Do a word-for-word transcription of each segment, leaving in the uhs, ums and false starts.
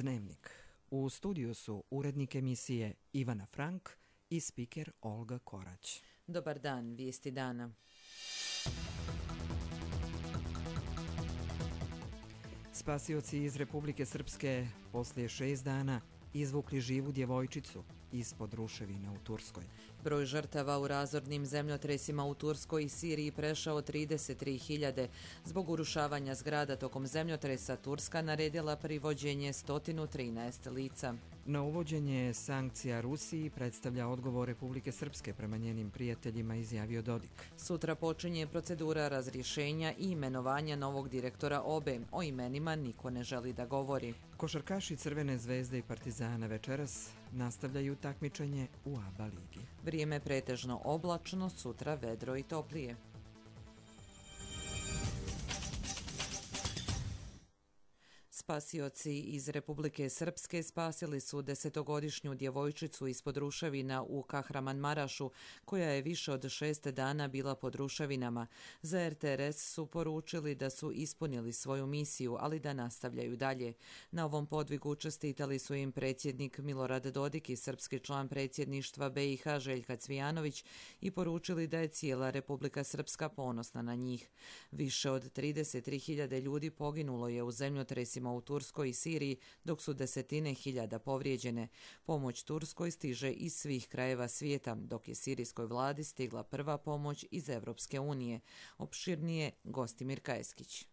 Dnevnik. U studiju su urednik emisije Ivana Frank i spiker Olga Korać. Dobar dan, vijesti dana. Spasioci iz Republike Srpske poslije šest dana izvukli živu djevojčicu ispod ruševina u Turskoj. Broj žrtava u razornim zemljotresima u Turskoj i Siriji prešao trideset tri hiljade. Zbog urušavanja zgrada tokom zemljotresa Turska naredila privođenje sto trinaest lica. Na uvođenje sankcija Rusiji predstavlja odgovor Republike Srpske prema njenim prijateljima, izjavio Dodik. Sutra počinje procedura razrješenja i imenovanja novog direktora O B E. O imenima niko ne želi da govori. Košarkaši Crvene zvezde i Partizana večeras nastavljaju takmičenje u A B A ligi. Vrijeme pretežno oblačno, sutra vedro i toplije. Spasioci iz Republike Srpske spasili su desetogodišnju djevojčicu ispod ruševina u Kahramanmarašu, koja je više od šest dana bila pod ruševinama. Za R T R S su poručili da su ispunili svoju misiju, ali da nastavljaju dalje. Na ovom podvigu čestitali su im predsjednik Milorad Dodik i srpski član predsjedništva B i H Željka Cvijanović i poručili da je cijela Republika Srpska ponosna na njih. Više od trideset tri hiljade ljudi poginulo je u zemljotresima u Turskoj i Siriji, dok su desetine hiljada povrijeđene. Pomoć Turskoj stiže iz svih krajeva svijeta, dok je sirijskoj vladi stigla prva pomoć iz Evropske unije. Opširnije Gostimir Kajeskić.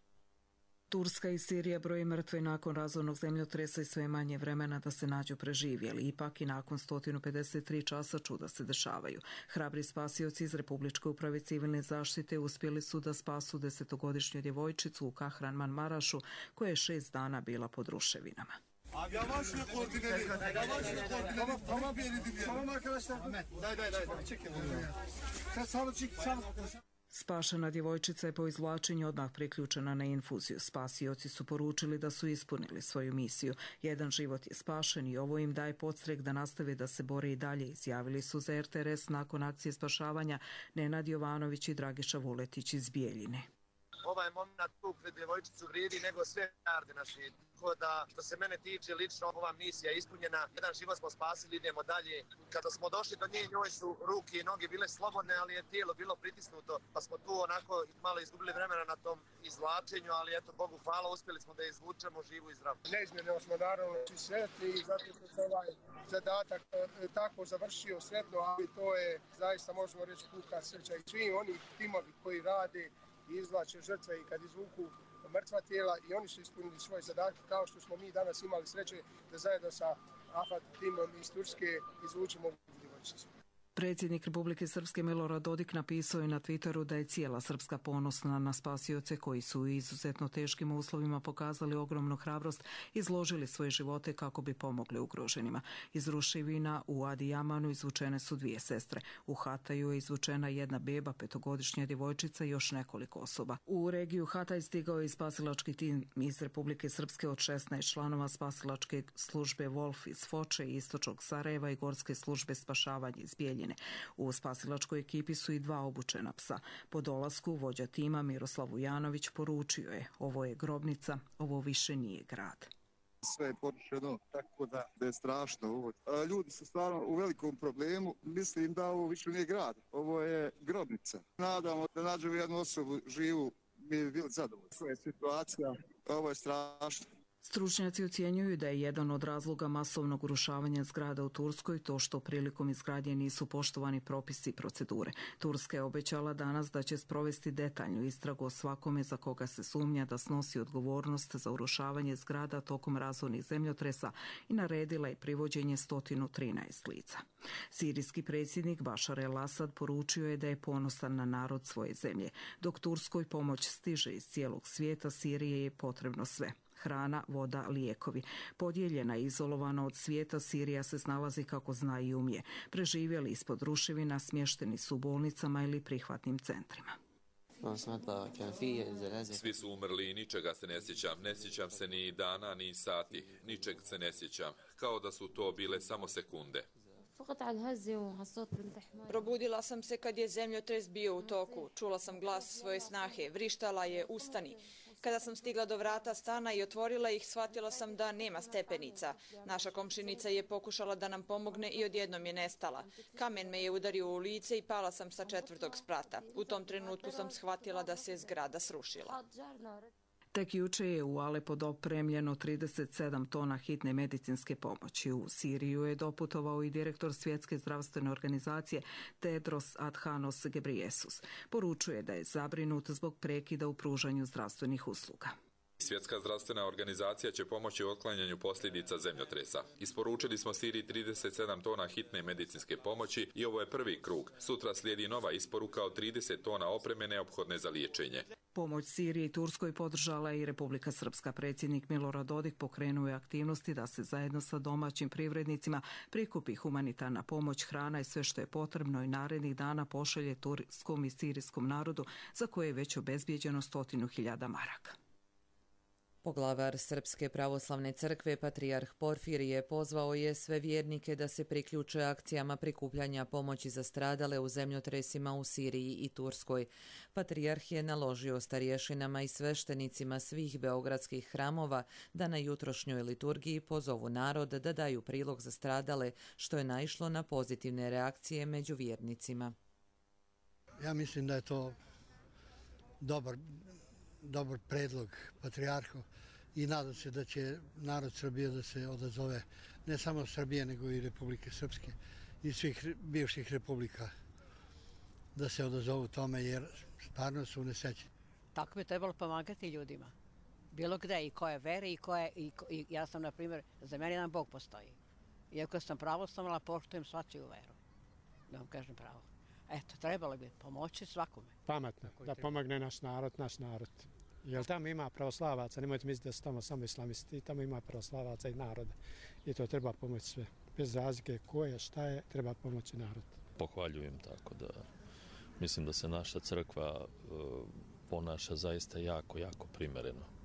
Turska i Sirija broji mrtve nakon razornog zemljotresa i sve manje vremena da se nađu preživjeli. Ipak i nakon sto pedeset tri časa čuda se dešavaju. Hrabri spasioci iz Republičke uprave civilne zaštite uspjeli su da spasu desetogodišnju djevojčicu u Kahramanmarašu koja je šest dana bila pod ruševinama. Yavaşla koordineli. Yavaşla koordineli. Tamam tamam bir yeri dinleyelim. Tamam arkadaşlar. Daj daj daj. Çekin. Sen sağlı çık sağlı. Spašena djevojčica je po izvlačenju odmah priključena na infuziju. Spasioci su poručili da su ispunili svoju misiju. Jedan život je spašen i ovo im daje podstrek da nastave da se bore i dalje, izjavili su za R T R S nakon akcije spašavanja Nenad Jovanović i Dragiša Vuletić iz Bijeljine. Ovaj moment tu pred djevojčicu vrijedi nego sve milijarde na svijetu. Tako da, što se mene tiče, lično ova misija je ispunjena. Jedan život smo spasili, idemo dalje. Kada smo došli do nje, njoj su ruke i noge bile slobodne, ali je tijelo bilo pritisnuto. Pa smo tu onako malo izgubili vremena na tom izvlačenju, ali eto, Bogu hvala, uspjeli smo da je izvučemo živu i zdravu. Neizmjerno smo naravno sretni i zato što se ovaj zadatak tako završio sretno, ali to je zaista, možemo reći, puka sreća i svi oni timovi koji rade i izvlače žrtve i kad izvuku mrtva tijela i oni su ispunili svoje zadatke kao što smo mi danas imali sreće da zajedno sa AFAD timom iz Turske izvučemo ovu djevojčicu. Predsjednik Republike Srpske Milorad Dodik napisao je na Twitteru da je cijela Srpska ponosna na spasioce koji su u izuzetno teškim uslovima pokazali ogromnu hrabrost i izložili svoje živote kako bi pomogli ugroženima. Iz ruševina u Adijamanu izvučene su dvije sestre. U Hataju je izvučena jedna beba, petogodišnja djevojčica i još nekoliko osoba. U regiju Hataj stigao je i spasilački tim iz Republike Srpske od šesnaest članova spasilačke službe Wolf iz Foče, istočnog Sarajeva i gorske službe spašavanja iz Bijeljine. U spasilačkoj ekipi su i dva obučena psa. Po dolasku vođa tima Miroslav Vujanović poručio je: ovo je grobnica, ovo više nije grad. Sve je porušeno, tako da, da je strašno ovo. Ljudi su stvarno u velikom problemu. Mislim da ovo više nije grad, ovo je grobnica. Nadamo da nađemo jednu osobu živu, mi bi bili zadovoljni. Ovo je situacija, ovo je strašno. Stručnjaci ocjenjuju da je jedan od razloga masovnog urušavanja zgrada u Turskoj to što prilikom izgradnje nisu poštovani propisi i procedure. Turska je obećala danas da će sprovesti detaljnu istragu o svakome za koga se sumnja da snosi odgovornost za urušavanje zgrada tokom razornih zemljotresa i naredila je privođenje sto trinaest lica. Sirijski predsjednik Bašar el-Asad poručio je da je ponosan na narod svoje zemlje. Dok Turskoj pomoć stiže iz cijelog svijeta, Sirije je potrebno sve. Hrana, voda, lijekovi. Podijeljena i izolovana od svijeta, Sirija se snalazi kako zna i umije. Preživjeli ispod ruševina, smješteni su u bolnicama ili prihvatnim centrima. Svi su umrli i ničega se ne sjećam. Ne sjećam se ni dana, ni sati. Ničeg se ne sjećam. Kao da su to bile samo sekunde. Probudila sam se kad je zemljotres bio u toku. Čula sam glas svoje snahe. Vrištala je: ustani. Kada sam stigla do vrata stana i otvorila ih, shvatila sam da nema stepenica. Naša komšinica je pokušala da nam pomogne i odjednom je nestala. Kamen me je udario u lice i pala sam sa četvrtog sprata. U tom trenutku sam shvatila da se zgrada srušila. Tek juče je u Alepo dopremljeno trideset sedam tona hitne medicinske pomoći. U Siriju je doputovao i direktor Svjetske zdravstvene organizacije Tedros Adhanom Ghebreyesus. Poručuje da je zabrinut zbog prekida u pružanju zdravstvenih usluga. Svjetska zdravstvena organizacija će pomoći u otklanjanju posljedica zemljotresa. Isporučili smo Siriji trideset sedam tona hitne medicinske pomoći i ovo je prvi krug. Sutra slijedi nova isporuka od trideset tona opreme neophodne za liječenje. Pomoć Siriji i Turskoj podržala i Republika Srpska. Predsjednik Milorad Dodik pokrenuo je aktivnosti da se zajedno sa domaćim privrednicima prikupi humanitarna pomoć, hrana i sve što je potrebno i narednih dana pošalje turskom i sirijskom narodu za koje je već obezbijeđeno stotinu hiljada maraka. Poglavar Srpske pravoslavne crkve, patrijarh Porfirije, pozvao je sve vjernike da se priključe akcijama prikupljanja pomoći za stradale u zemljotresima u Siriji i Turskoj. Patrijarh je naložio starješinama i sveštenicima svih beogradskih hramova da na jutrošnjoj liturgiji pozovu narod da daju prilog za stradale, što je naišlo na pozitivne reakcije među vjernicima. Ja mislim da je to dobar dobar predlog patrijarhu i nadam se da će narod Srbije da se odazove, ne samo Srbije nego i Republike Srpske i svih bivših republika da se odazovu tome jer stvarno su nesrećni. Tako bi trebalo pomagati ljudima. Bilo gde i koje vere i koje, i, i ja sam na primjer, za mene jedan Bog postoji. Iako sam pravoslavna, poštujem svačiju veru. Da vam kažem pravo. Eto, trebalo bi pomoći svakome. Pametno, da pomogne naš narod, naš narod. Jer tamo ima pravoslavaca, nemojte misliti da su tamo samo islamisti, tamo ima pravoslavaca i naroda. I to treba pomoći sve. Bez razlike ko je, šta je, treba pomoći narod. Pohvaljujem tako da mislim da se naša crkva uh, ponaša zaista jako, jako primereno.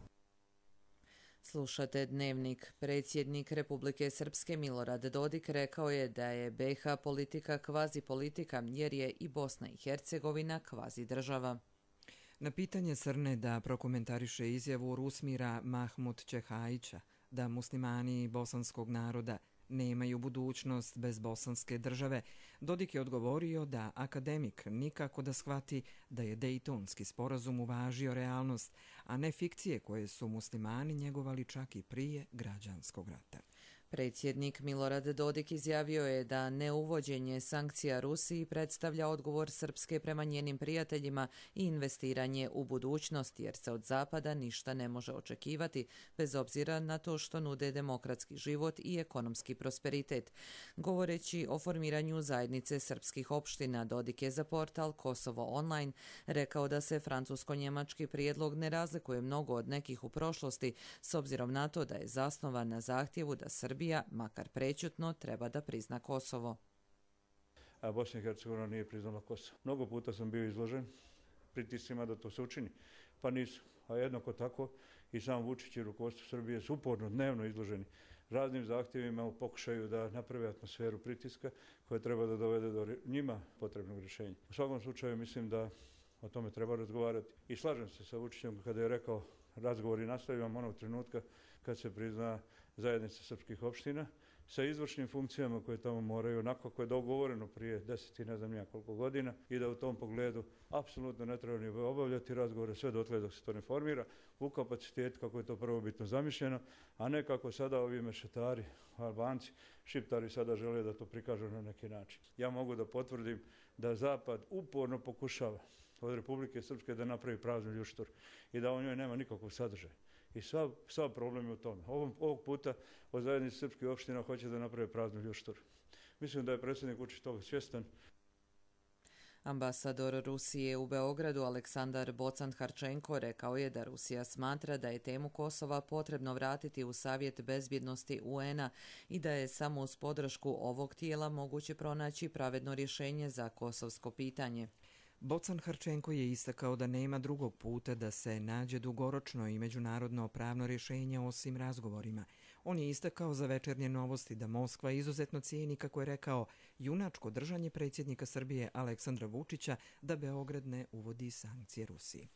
Slušate Dnevnik. Predsjednik Republike Srpske Milorad Dodik rekao je da je B i H politika kvazi politika jer je i Bosna i Hercegovina kvazi država. Na pitanje Srne da prokomentariše izjavu Rusmira Mahmud Čehajića da muslimani bosanskog naroda nemaju budućnost bez bosanske države, Dodik je odgovorio da akademik nikako da shvati da je Dejtonski sporazum uvažio realnost, a ne fikcije koje su muslimani njegovali čak i prije građanskog rata. Predsjednik Milorad Dodik izjavio je da neuvođenje sankcija Rusiji predstavlja odgovor Srpske prema njenim prijateljima i investiranje u budućnost, jer se od Zapada ništa ne može očekivati, bez obzira na to što nude demokratski život i ekonomski prosperitet. Govoreći o formiranju zajednice srpskih opština, Dodik je za portal Kosovo Online rekao da se francusko-njemački prijedlog ne razlikuje mnogo od nekih u prošlosti, s obzirom na to da je zasnovan na zahtjevu da Srbija, makar prećutno, treba da prizna Kosovo. A Bosna i Hercegovina nije priznala Kosovo. Mnogo puta sam bio izložen pritiscima da to se učini, pa nisu. A jednako tako i sam Vučić i rukovodstvo Srbije su uporno dnevno izloženi raznim zahtjevima u pokušaju da naprave atmosferu pritiska koja treba da dovede do njima potrebnog rješenja. U svakom slučaju mislim da o tome treba razgovarati. I slažem se sa Vučićem kada je rekao razgovori nastavljamo onog trenutka kad se prizna zajednica srpskih opština sa izvršnim funkcijama koje tamo moraju, onako kako je dogovoreno prije deset i ne znam nija koliko godina i da u tom pogledu apsolutno ne treba ni obavljati razgovore sve dotle dok se to ne formira u kapacitetu kako je to prvobitno zamišljeno, a ne kako sada ovi mešetari, Albanci, Šiptari sada žele da to prikažu na neki način. Ja mogu da potvrdim da Zapad uporno pokušava od Republike Srpske da napravi prazni ljuštur i da u njoj nema nikakvog sadržaja. I sav, sav problem je u tome. Ovog, ovog puta od zajednice srpskih opština hoće da naprave prazni ljuštur. Mislim da je predsjednik Vučić toga svjestan. Ambasador Rusije u Beogradu Aleksandar Bocan-Harčenko rekao je da Rusija smatra da je temu Kosova potrebno vratiti u Savjet bezbjednosti U N-a i da je samo uz podršku ovog tijela moguće pronaći pravedno rješenje za kosovsko pitanje. Bocan-Harčenko je istakao da nema drugog puta da se nađe dugoročno i međunarodno pravno rješenje osim razgovorima. On je istakao za Večernje novosti da Moskva izuzetno cijeni, kako je rekao, junačko držanje predsjednika Srbije Aleksandra Vučića da Beograd ne uvodi sankcije Rusiji.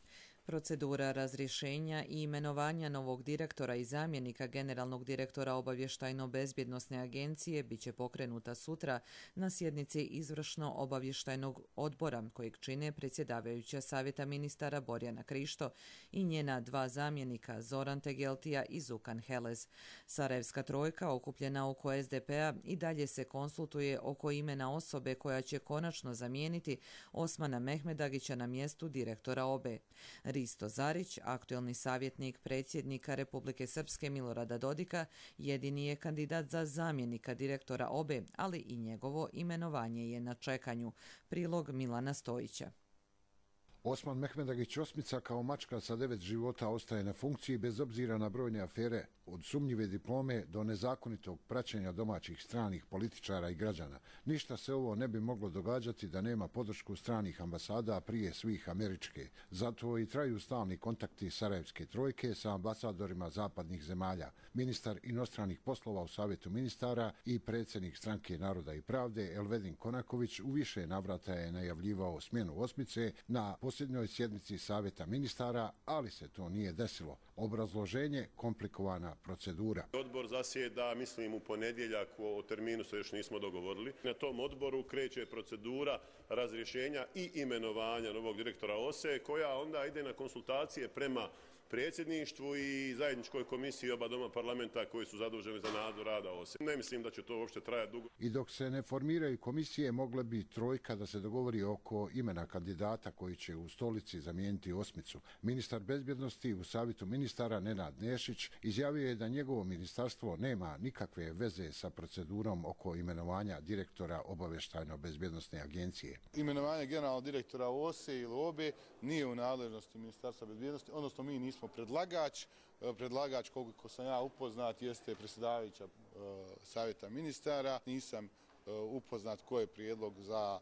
Procedura razrješenja i imenovanja novog direktora i zamjenika generalnog direktora Obavještajno-bezbjednosne agencije bit će pokrenuta sutra na sjednici Izvršno-obavještajnog odbora kojeg čine predsjedavajuća savjeta ministara Borjana Krišto i njena dva zamjenika Zoran Tegeltija i Zukan Helez. Sarajevska trojka okupljena oko es de pe a i dalje se konsultuje oko imena osobe koja će konačno zamijeniti Osmana Mehmedagića na mjestu direktora O B E. Risto Zarić, aktuelni savjetnik predsjednika Republike Srpske Milorada Dodika, jedini je kandidat za zamjenika direktora O B E, ali i njegovo imenovanje je na čekanju. Prilog Milana Stojića. Osman Mehmedagić Osmica kao mačka sa devet života ostaje na funkciji bez obzira na brojne afere, od sumnjive diplome do nezakonitog praćenja domaćih stranih političara i građana. Ništa se ovo ne bi moglo događati da nema podršku stranih ambasada, a prije svih američke. Zato i traju stalni kontakti Sarajevske trojke sa ambasadorima zapadnih zemalja. Ministar inostranih poslova u Savjetu ministara i predsjednik Stranke Naroda i pravde Elvedin Konaković u više navrata je najavljivao smjenu Osmice na posljednjoj sjednici Savjeta ministara, ali se to nije desilo. Obrazloženje: komplikovana procedura. Odbor zasjeda, mislim, u ponedjeljak, o terminu se još nismo dogovorili. Na tom odboru kreće procedura razrješenja i imenovanja novog direktora O S E, koja onda ide na konsultacije prema predsjedništvu i zajedničkoj komisiji oba doma parlamenta koji su zaduženi za nadzor rada O S E. Ne mislim da će to uopšte trajati dugo. I dok se ne formiraju komisije, mogla bi trojka da se dogovori oko imena kandidata koji će u stolici zamijeniti Osmicu. Ministar bezbjednosti u Savjetu ministara Nenad Nešić izjavio je da njegovo ministarstvo nema nikakve veze sa procedurom oko imenovanja direktora Obavještajno-bezbjednosne agencije. Imenovanje generalnog direktora O S E ili O B E nije u nadležnosti Ministarstva bezbjednosti, odnosno mi nismo predlagač. Predlagač, koliko sam ja upoznat, jeste predsjedavajuća Savjeta ministara. Nisam upoznat ko je prijedlog za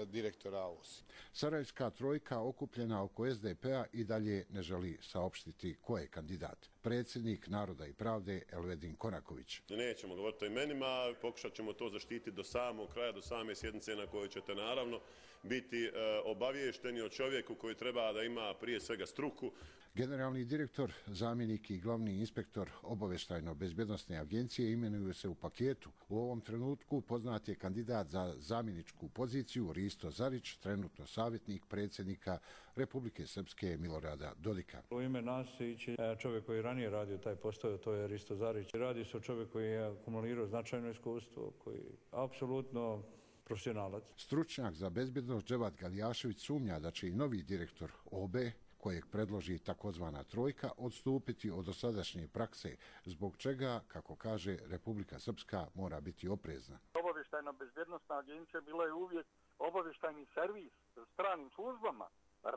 direktora O S E. Sarajevska trojka okupljena oko es de pe a i dalje ne želi saopštiti ko je kandidat. Predsjednik Naroda i pravde Elvedin Konaković. Nećemo govoriti o imenima, pokušat ćemo to zaštiti do samog kraja, do same sjednice na kojoj ćete naravno biti obaviješteni o čovjeku koji treba da ima prije svega struku. Generalni direktor, zamjenik i glavni inspektor Obavještajno-bezbjednosne agencije imenuju se u paketu. U ovom trenutku poznat je kandidat za zamjeničku poziciju Risto Zarić, trenutno savjetnik predsjednika Republike Srpske Milorada Dodika. U ime nas ići čovjek koji ranije radio taj posao, to je Risto Zarić. Radi se o čovjeku koji je akumulirao značajno iskustvo, koji je apsolutno profesionalac. Stručnjak za bezbjednost Dževat Galijašević sumnja da će i novi direktor O B E, kojeg predloži takozvana trojka, odstupiti od dosadašnje prakse, zbog čega, kako kaže, Republika Srpska mora biti oprezna. Obavještajno-bezbjednosna agencija bila je uvijek obavještajni servis stranim službama.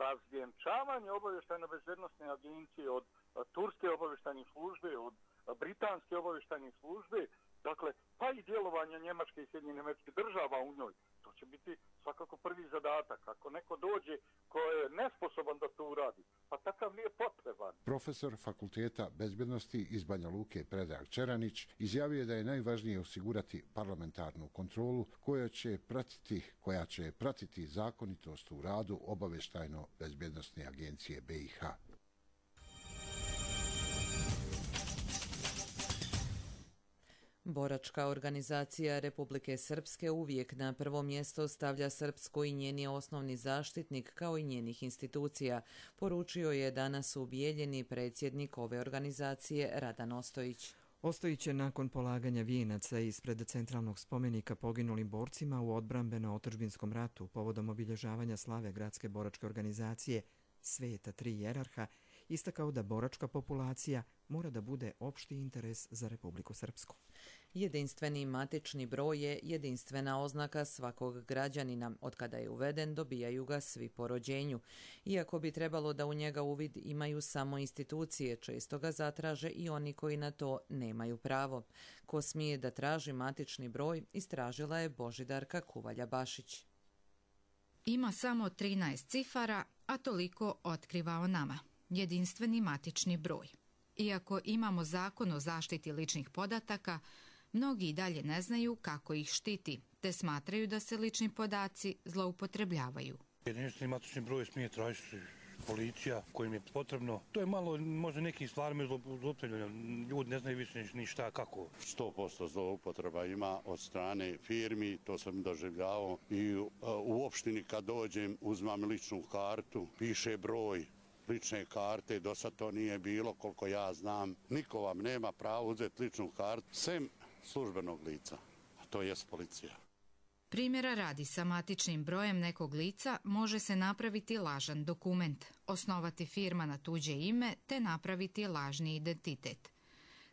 Razvjenčavanje obavještajno-bezbjednosne agencije od turske obavještajne službe, od britanske obavještajne službe, dakle, pa i djelovanja Njemačke i Sjedinjenih Američkih Država u njoj. To će biti svakako prvi zadatak. Ako neko dođe ko je nesposoban da to uradi, pa takav nije potreban. Profesor Fakulteta bezbjednosti iz Banja Luke Predrag Čeranić izjavio je da je najvažnije osigurati parlamentarnu kontrolu koja će pratiti, koja će pratiti zakonitost u radu Obavještajno-bezbjednosne agencije B i H. Boračka organizacija Republike Srpske uvijek na prvo mjesto stavlja Srpsku i njeni osnovni zaštitnik kao i njenih institucija, poručio je danas u Bijeljini predsjednik ove organizacije Radan Ostojić. Ostojić je nakon polaganja vijenaca ispred centralnog spomenika poginulim borcima u odbrambeno-otadžbinskom ratu povodom obilježavanja slave gradske boračke organizacije Sveta tri jerarha istakao da boračka populacija mora da bude opšti interes za Republiku Srpsku. Jedinstveni matični broj je jedinstvena oznaka svakog građanina. Od kada je uveden, dobijaju ga svi po rođenju. Iako bi trebalo da u njega uvid imaju samo institucije, često ga zatraže i oni koji na to nemaju pravo. Ko smije da traži matični broj, istražila je Božidarka Kuvalja-Bašić. Ima samo trinaest cifara, a toliko otkriva o nama. Jedinstveni matični broj. Iako imamo zakon o zaštiti ličnih podataka, mnogi i dalje ne znaju kako ih štiti, te smatraju da se lični podaci zloupotrebljavaju. Jedinstveni matični broj smije tražiti policija kojim je potrebno. To je malo možda nekim stvarima zloupotrebljeno. Ljudi ne znaju više ni šta, kako. sto posto zloupotreba ima od strane firmi, to sam doživljavao i u, u opštini kad dođem uzmam ličnu kartu, piše broj lične karte, do sad to nije bilo koliko ja znam. Niko vam nema pravo uzeti ličnu kartu, sem službenog lica, a to jest policija. Primjera radi, sa matičnim brojem nekog lica može se napraviti lažan dokument, osnovati firma na tuđe ime te napraviti lažni identitet.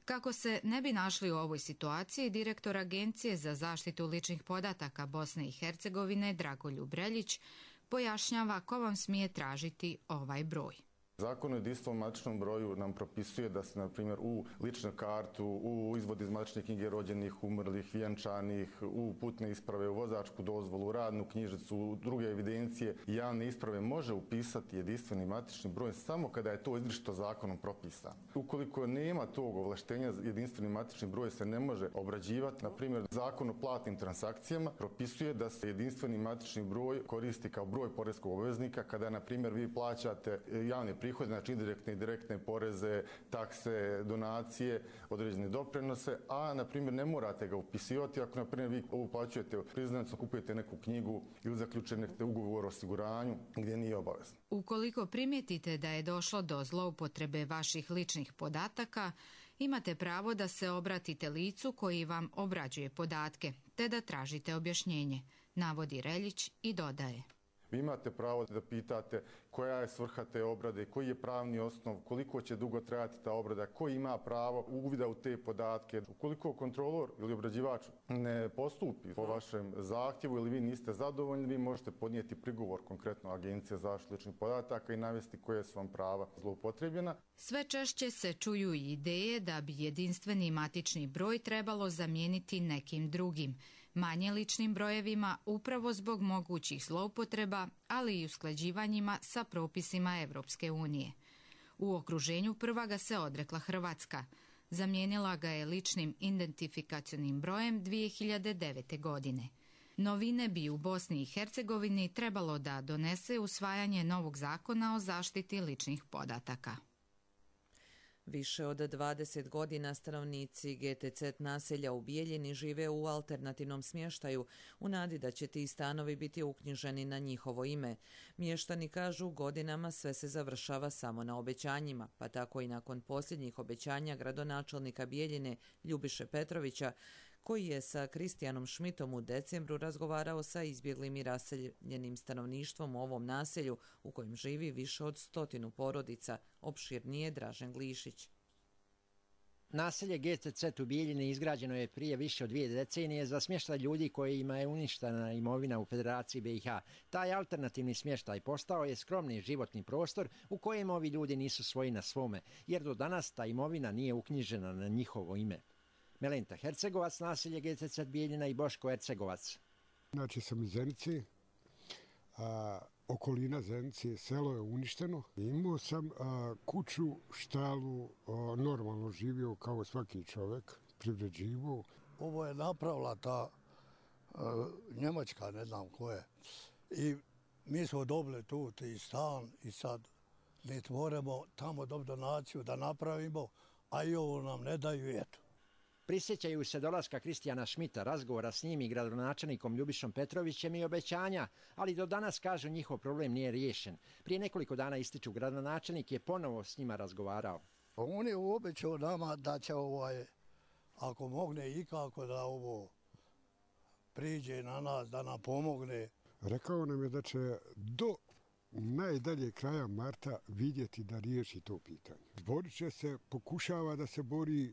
Kako se ne bi našli u ovoj situaciji, direktor Agencije za zaštitu ličnih podataka Bosne i Hercegovine Dragoljub Reljić pojašnjava ko vam smije tražiti ovaj broj. Zakon o jedinstvenom matičnom broju nam propisuje da se, na primjer, u ličnu kartu, u izvod iz matične knjige rođenih, umrlih, vjenčanih, u putne isprave, u vozačku dozvolu, u radnu knjižicu, u druge evidencije i javne isprave može upisati jedinstveni matični broj samo kada je to izričito zakonom propisano. Ukoliko nema tog ovlaštenja, jedinstveni matični broj se ne može obrađivati. Na primjer, Zakon o platnim transakcijama propisuje da se jedinstveni matični broj koristi kao broj poreskog obveznika kada, na primjer, vi plaćate javne prihode, znači indirektne i direktne poreze, takse, donacije, određene doprinose, a na primjer ne morate ga upisivati ako na primjer vi uplaćujete priznanicu, kupujete neku knjigu ili zaključujete ugovor o osiguranju gdje nije obavezno. Ukoliko primijetite da je došlo do zloupotrebe vaših ličnih podataka, imate pravo da se obratite licu koji vam obrađuje podatke, te da tražite objašnjenje, navodi Reljić i dodaje. Vi imate pravo da pitate koja je svrha te obrade, koji je pravni osnov, koliko će dugo trajati ta obrada, ko ima pravo uvida u te podatke. Ukoliko kontrolor ili obrađivač ne postupi po vašem zahtjevu ili vi niste zadovoljni, vi možete podnijeti prigovor konkretno Agencije za zaštitu ličnih podataka i navesti koje su vam prava zloupotrebljena. Sve češće se čuju i ideje da bi jedinstveni matični broj trebalo zamijeniti nekim drugim, manje ličnim brojevima upravo zbog mogućih zloupotreba, ali i usklađivanjima sa propisima Evropske unije. U okruženju prva ga se odrekla Hrvatska. Zamijenila ga je ličnim identifikacionim brojem dvije hiljade devete. godine. Novine bi u Bosni i Hercegovini trebalo da donese usvajanje novog zakona o zaštiti ličnih podataka. Više od dvadeset godina stanovnici G T C naselja u Bijeljini žive u alternativnom smještaju u nadi da će ti stanovi biti uknjiženi na njihovo ime. Mještani kažu godinama sve se završava samo na obećanjima, pa tako i nakon posljednjih obećanja gradonačelnika Bijeljine Ljubiše Petrovića, koji je sa Kristijanom Šmitom u decembru razgovarao sa izbjeglim i raseljenim stanovništvom u ovom naselju u kojem živi više od stotinu porodica, opširnije Dražen Glišić. Naselje G T C u Bijeljini izgrađeno je prije više od dvije decenije za smještaj ljudi kojima je uništena imovina u Federaciji B i H. Taj alternativni smještaj postao je skromni životni prostor u kojem ovi ljudi nisu svoji na svome, jer do danas ta imovina nije uknjižena na njihovo ime. Melenta Hercegovac, naselje G T C Bijeljina i Boško Hercegovac. Znači sam iz Zenice, a, okolina Zenice, selo je uništeno. Imao sam a, kuću, štalu, a, normalno živio kao svaki čovjek, privređivo. Ovo je napravila ta a, Njemačka, ne znam ko je. I mi smo dobili tu i stan i sad mi moramo tamo dobiti donaciju da napravimo, a i ovo nam ne daju, eto. Prisjećaju se dolaska Kristijana Šmita, razgovora s njim i gradonačelnikom Ljubišom Petrovićem i obećanja, ali do danas, kažu, njihov problem nije riješen. Prije nekoliko dana, ističu, gradonačelnik je ponovo s njima razgovarao. On je obećao nama da će, ovaj, ako mogne ikako, da ovo priđe na nas, da nam pomogne. Rekao nam je da će do najdalje kraja marta vidjeti da riješi to pitanje. Borit će se, pokušava da se bori,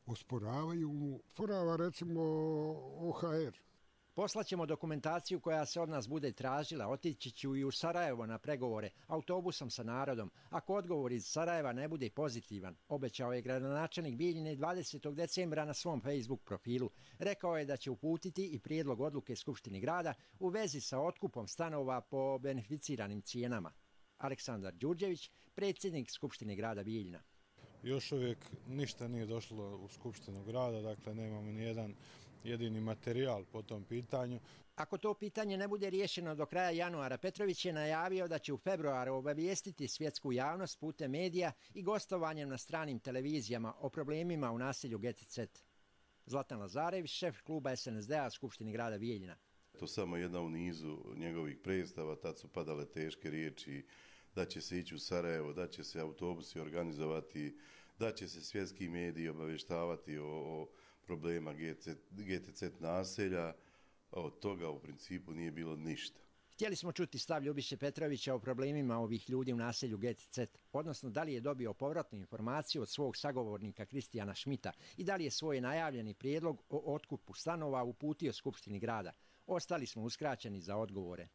osporavaju mu, osporava recimo O H R. Poslaćemo dokumentaciju koja se od nas bude tražila, otići ću i u Sarajevo na pregovore, autobusom sa narodom. Ako odgovor iz Sarajeva ne bude pozitivan, obećao je gradonačelnik Bijeljine dvadesetog decembra na svom Facebook profilu. Rekao je da će uputiti i prijedlog odluke Skupštini grada u vezi sa otkupom stanova po beneficiranim cijenama. Aleksandar Đurđević, predsjednik Skupštine grada Bijeljina. Još uvijek ništa nije došlo u Skupštinu grada, dakle nemamo ni jedan jedini materijal po tom pitanju. Ako to pitanje ne bude riješeno do kraja januara, Petrović je najavio da će u februaru obavijestiti svjetsku javnost putem medija i gostovanjem na stranim televizijama o problemima u naselju Geticet. Zlatan Lazarević, šef kluba S N S D-a Skupštini grada Bijeljina. To samo jedna u nizu njegovih predstava, tad su padale teške riječi, da će se ići u Sarajevo, da će se autobusi organizovati, da će se svjetski mediji obavještavati o, o problema Geticet naselja. Od toga u principu nije bilo ništa. Htjeli smo čuti stav Ljubiše Petrovića o problemima ovih ljudi u naselju Geticet, odnosno da li je dobio povratnu informaciju od svog sagovornika Kristijana Šmita i da li je svoj najavljeni prijedlog o otkupu stanova uputio Skupštini grada. Ostali smo uskraćeni za odgovore.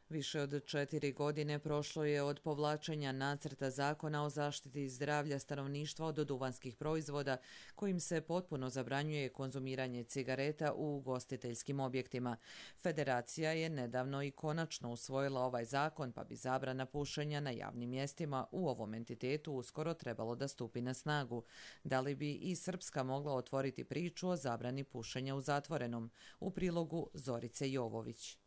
Više od četiri godine prošlo je od povlačenja nacrta zakona o zaštiti zdravlja stanovništva od duvanskih proizvoda, kojim se potpuno zabranjuje konzumiranje cigareta u ugostiteljskim objektima. Federacija je nedavno i konačno usvojila ovaj zakon, pa bi zabrana pušenja na javnim mjestima u ovom entitetu uskoro trebalo da stupi na snagu. Da li bi i Srpska mogla otvoriti priču o zabrani pušenja u zatvorenom? U prilogu Zorice Jovović.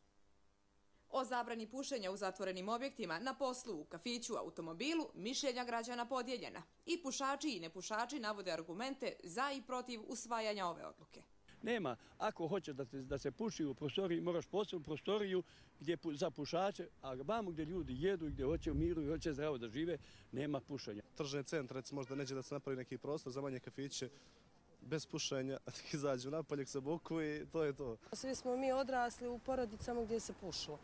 O zabrani pušenja u zatvorenim objektima, na poslu, u kafiću, automobilu, mišljenja građana podijeljena. I pušači i nepušači navode argumente za i protiv usvajanja ove odluke. Nema, ako hoće da, te, da se puši u prostoriji, moraš posebnu prostoriju gdje za pušače, a vamo gdje ljudi jedu i gdje hoće u miru i hoće zdravo da žive, nema pušenja. Tržni centar, recimo, možda neće da se napravi neki prostor za manje kafiće, bez pušenja, izađu napolje se boku i to je to. Svi smo mi odrasli u porodicama gdje se pušilo.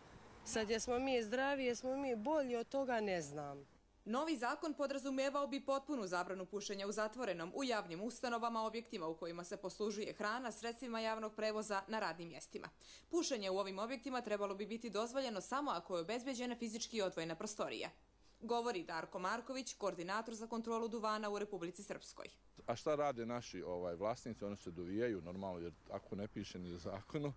Sad jesmo mi zdravi, jesmo mi bolji, od toga ne znam. Novi zakon podrazumijevao bi potpunu zabranu pušenja u zatvorenom, u javnim ustanovama, objektima u kojima se poslužuje hrana, sredstvima javnog prevoza, na radnim mjestima. Pušenje u ovim objektima trebalo bi biti dozvoljeno samo ako je obezbeđena fizički odvojena prostorija. Govori Darko Marković, koordinator za kontrolu duvana u Republici Srpskoj. A šta rade naši ovaj, vlasnici? Oni se dovijaju normalno, jer ako ne piše ni zakonu,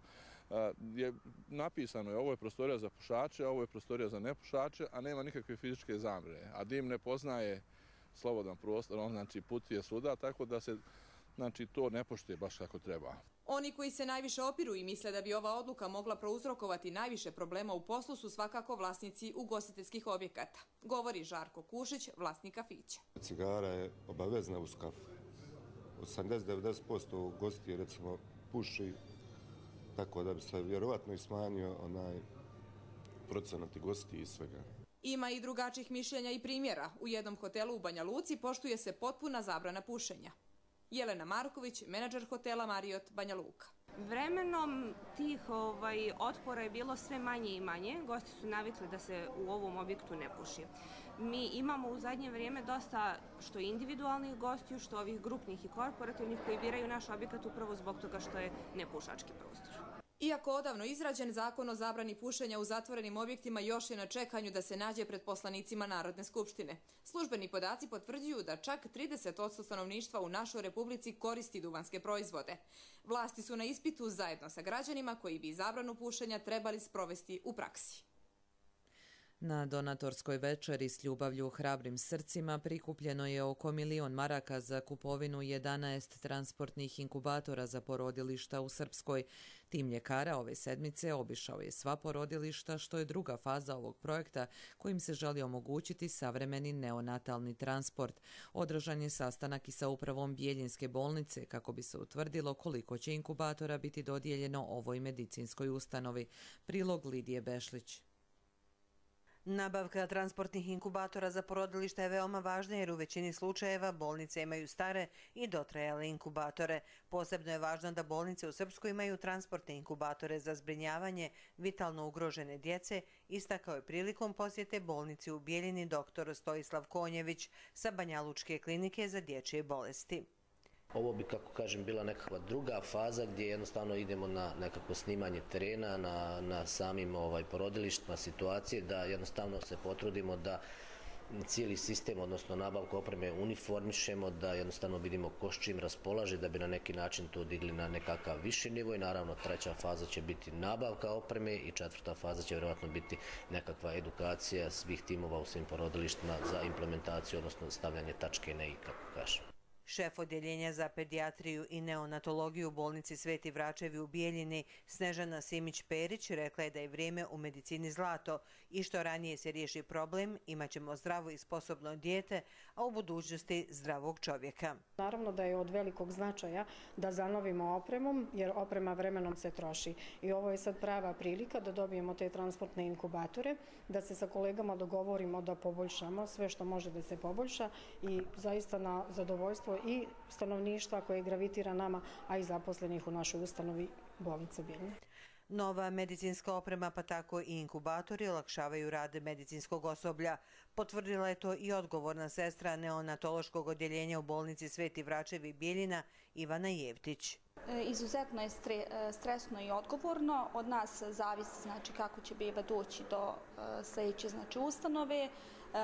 je napisano je ovo je prostorija za pušače, ovo je prostorija za nepušače, a nema nikakve fizičke zabrane. A dim ne poznaje slobodan prostor, on znači putuje svuda, tako da se znači, to ne poštuje baš kako treba. Oni koji se najviše opiru i misle da bi ova odluka mogla prouzrokovati najviše problema u poslu su svakako vlasnici ugostiteljskih objekata. Govori Žarko Kušić, vlasnik kafića. Cigara je obavezna uz kafu. osamdeset do devedeset posto ugostitelja recimo puši, tako da bi se vjerovatno i smanjio onaj procenat gosti i svega. Ima i drugačijih mišljenja i primjera. U jednom hotelu u Banja Luci poštuje se potpuna zabrana pušenja. Jelena Marković, menadžer hotela Marriott Banja Luka. Vremenom tih ovaj, otpora je bilo sve manje i manje. Gosti su navikli da se u ovom objektu ne puši. Mi imamo u zadnje vrijeme dosta što individualnih gostiju, što ovih grupnih i korporativnih koji biraju naš objekat upravo zbog toga što je nepušački prostor. Iako odavno izrađen, zakon o zabrani pušenja u zatvorenim objektima još je na čekanju da se nađe pred poslanicima Narodne skupštine. Službeni podaci potvrđuju da čak trideset posto stanovništva u našoj republici koristi duvanske proizvode. Vlasti su na ispitu zajedno sa građanima koji bi zabranu pušenja trebali sprovesti u praksi. Na donatorskoj večeri s ljubavlju hrabrim srcima prikupljeno je oko milion maraka za kupovinu jedanaest transportnih inkubatora za porodilišta u Srpskoj. Tim mljekara ove sedmice obišao je sva porodilišta, što je druga faza ovog projekta kojim se želi omogućiti savremeni neonatalni transport. Održan je sastanak i sa upravom Bijeljinske bolnice kako bi se utvrdilo koliko će inkubatora biti dodijeljeno ovoj medicinskoj ustanovi. Prilog Lidije Bešlić. Nabavka transportnih inkubatora za porodilišta je veoma važna jer u većini slučajeva bolnice imaju stare i dotrajale inkubatore. Posebno je važno da bolnice u Srpskoj imaju transportne inkubatore za zbrinjavanje vitalno ugrožene djece, istakao je prilikom posjete bolnici u Bijeljini doktor Stojislav Konjević sa Banjalučke klinike za dječje bolesti. Ovo bi, kako kažem, bila nekakva druga faza gdje jednostavno idemo na nekakvo snimanje terena, na, na samim ovaj, porodilištima situacije, da jednostavno se potrudimo da cijeli sistem, odnosno nabavku opreme uniformišemo, da jednostavno vidimo ko s čim raspolaže, da bi na neki način to digli na nekakav viši nivo i naravno treća faza će biti nabavka opreme i četvrta faza će vjerojatno biti nekakva edukacija svih timova u svim porodilištima za implementaciju, odnosno stavljanje tačke na i, kako kažem. Šef odjeljenja za pedijatriju i neonatologiju u bolnici Sveti Vračevi u Bijeljini, Snežana Simić-Perić, rekla je da je vrijeme u medicini zlato i što ranije se riješi problem, imat ćemo zdravo i sposobno dijete, a u budućnosti zdravog čovjeka. Naravno da je od velikog značaja da zanovimo opremom, jer oprema vremenom se troši. I ovo je sad prava prilika da dobijemo te transportne inkubatore, da se sa kolegama dogovorimo da poboljšamo sve što može da se poboljša i zaista na zadovoljstvo i stanovništva koje gravitira nama, a i zaposlenih u našoj ustanovi bolnice Bijeljina. Nova medicinska oprema, pa tako i inkubatori, olakšavaju rad medicinskog osoblja. Potvrdila je to i odgovorna sestra neonatološkog odjeljenja u bolnici Sveti Vračevi Bijeljina, Ivana Jevtić. Izuzetno je stresno i odgovorno. Od nas zavisi znači, kako će beba doći do sljedeće znači, ustanove.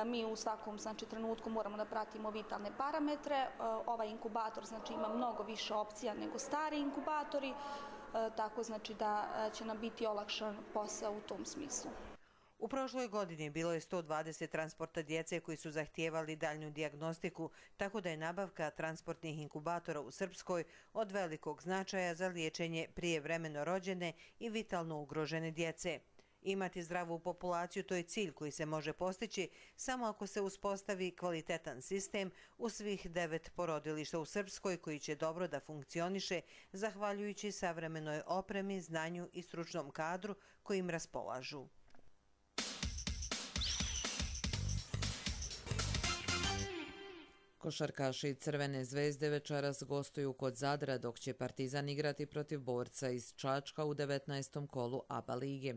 Mi u svakom znači, trenutku moramo da pratimo vitalne parametre. Ovaj inkubator znači, ima mnogo više opcija nego stari inkubatori, tako znači da će nam biti olakšan posao u tom smislu. U prošloj godini bilo je sto dvadeset transporta djece koji su zahtijevali daljnju dijagnostiku, tako da je nabavka transportnih inkubatora u Srpskoj od velikog značaja za liječenje prijevremeno rođene i vitalno ugrožene djece. Imati zdravu populaciju to je cilj koji se može postići samo ako se uspostavi kvalitetan sistem u svih devet porodilišta u Srpskoj koji će dobro da funkcioniše zahvaljujući savremenoj opremi, znanju i stručnom kadru kojim raspolažu. Košarkaši Crvene zvezde večeras gostuju kod Zadra, dok će Partizan igrati protiv borca iz Čačka u devetnaestom kolu A B A lige.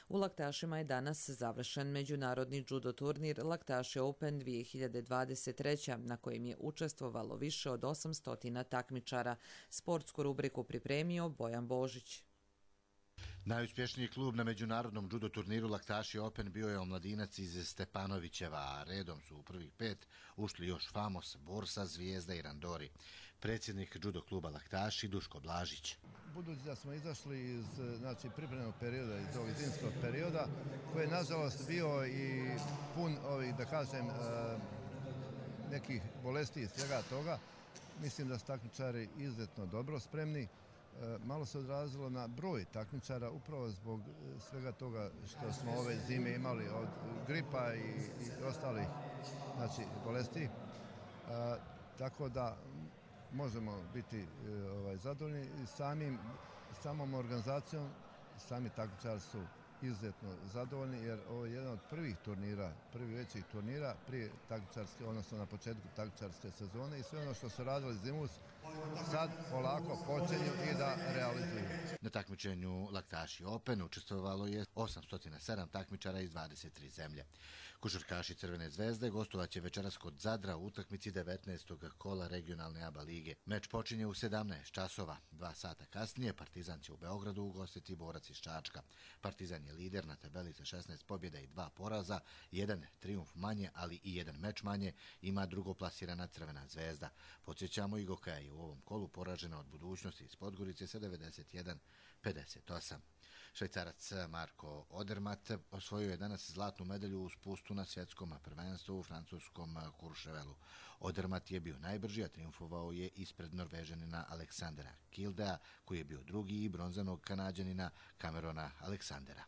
U Laktašima je danas završen međunarodni judo turnir Laktaši Open dvije hiljade dvadeset treće. na kojem je učestvovalo više od osamsto takmičara. Sportsku rubriku pripremio Bojan Božić. Najuspješniji klub na međunarodnom judo turniru Laktaši Open bio je omladinac iz Stepanovićeva, a redom su u prvih pet ušli još Famos, Borsa, Zvijezda i Randori. Predsjednik judo kluba Laktaši Duško Blažić. Budući da smo izašli iz znači, pripremnog perioda, iz ovog zimskog perioda, koji je nažalost bio i pun ovih, da kažem, nekih bolesti i svega toga, mislim da su takmičari izuzetno dobro spremni. Malo se odrazilo na broj takmičara upravo zbog svega toga što smo ove zime imali od gripa i, i ostalih znači, bolesti. A, tako da možemo biti ovaj, zadovoljni samim, samom organizacijom. Sami takmičari su izuzetno zadovoljni jer ovo je jedan od prvih turnira, prvi većih turnira prije takmičarske, odnosno na početku takmičarske sezone i sve ono što su radili zimus sad polako počinju i da realizuju. Na takmičenju Laktaši Open učestvovalo je osamsto sedam takmičara iz dvadeset tri zemlje. Košarkaši Crvene zvezde gostovaće večeras kod Zadra u utakmici devetnaestog kola regionalne A B A lige. Meč počinje u sedamnaest časova. Dva sata kasnije Partizan će u Beogradu ugostiti Borac iz Čačka. Partizan je lider na tabeli sa šesnaest pobjeda i dva poraza, jedan trijumf manje, ali i jedan meč manje ima drugoplasirana Crvena zvezda. Podsjećamo, Igoka je u ovom kolu poražena od Budućnosti iz Podgorice sa devedeset jedan pedeset osam. Švajcarac Marko Odermatt osvojio je danas zlatnu medalju u spustu na svjetskom prvenstvu u francuskom Courchevelu. Odermatt je bio najbrži, a triumfovao je ispred Norvežanina Aleksandra Kildea, koji je bio drugi, i bronzanog Kanađanina Camerona Aleksandera.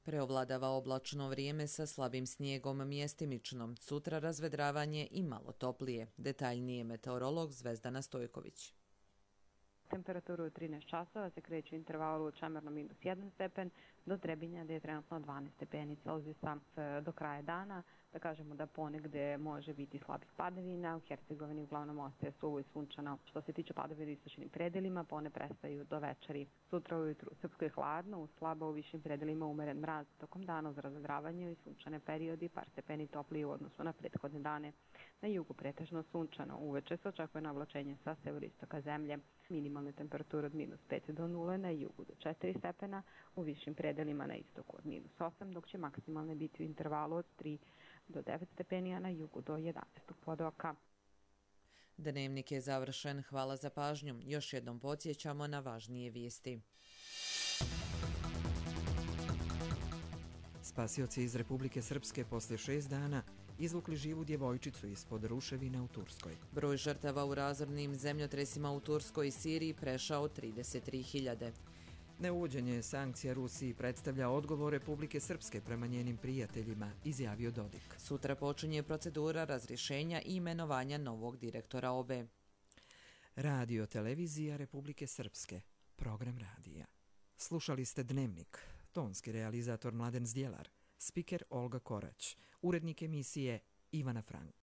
Preovladava oblačno vrijeme sa slabim snijegom mjestimično. Sutra razvedravanje i malo toplije. Detaljnije meteorolog Zvezdana Stojković. Temperaturu od trinaest časova se kreće u intervalu od Čemerno minus jedan stepen do Trebinja gdje je trenutno dvanaest stepeni Celzijusa. Do kraja dana da kažemo da ponegde može biti slabih padavina, u Hercegovini uglavnom ostaje suvo i sunčano. Što se tiče padavina u istočnim predelima, one prestaju do večeri. Sutra ujutru u Srpskoj hladno, u slabo u višim predelima umeren mraz, tokom dana uz razvedravanje i sunčane periodi, par stepeni toplije u odnosu na prethodne dane. Na jugu pretežno sunčano, uveče se očekuje navlačenje sa severistoka zemlje. Minimalne temperature od minus pet do nule, na jugu do četiri stepena, u višim predelima na istoku od minus osam, dok će maksimalne biti u intervalu od tri do devet stepeni, a na jugu do jedanaest podoka. Dnevnik je završen. Hvala za pažnju. Još jednom podsjećamo na važnije vijesti. Spasioci iz Republike Srpske poslije šest dana izvukli živu djevojčicu ispod ruševina u Turskoj. Broj žrtava u razornim zemljotresima u Turskoj i Siriji prešao trideset tri hiljade. Neuvođenje sankcija Rusiji predstavlja odgovor Republike Srpske prema njenim prijateljima, izjavio Dodik. Sutra počinje procedura razrješenja i imenovanja novog direktora O B E. Radio Televizija Republike Srpske. Program radija. Slušali ste Dnevnik. Tonski realizator Mladen Zdjelar. Spiker Olga Korać. Urednik emisije Ivana Frank.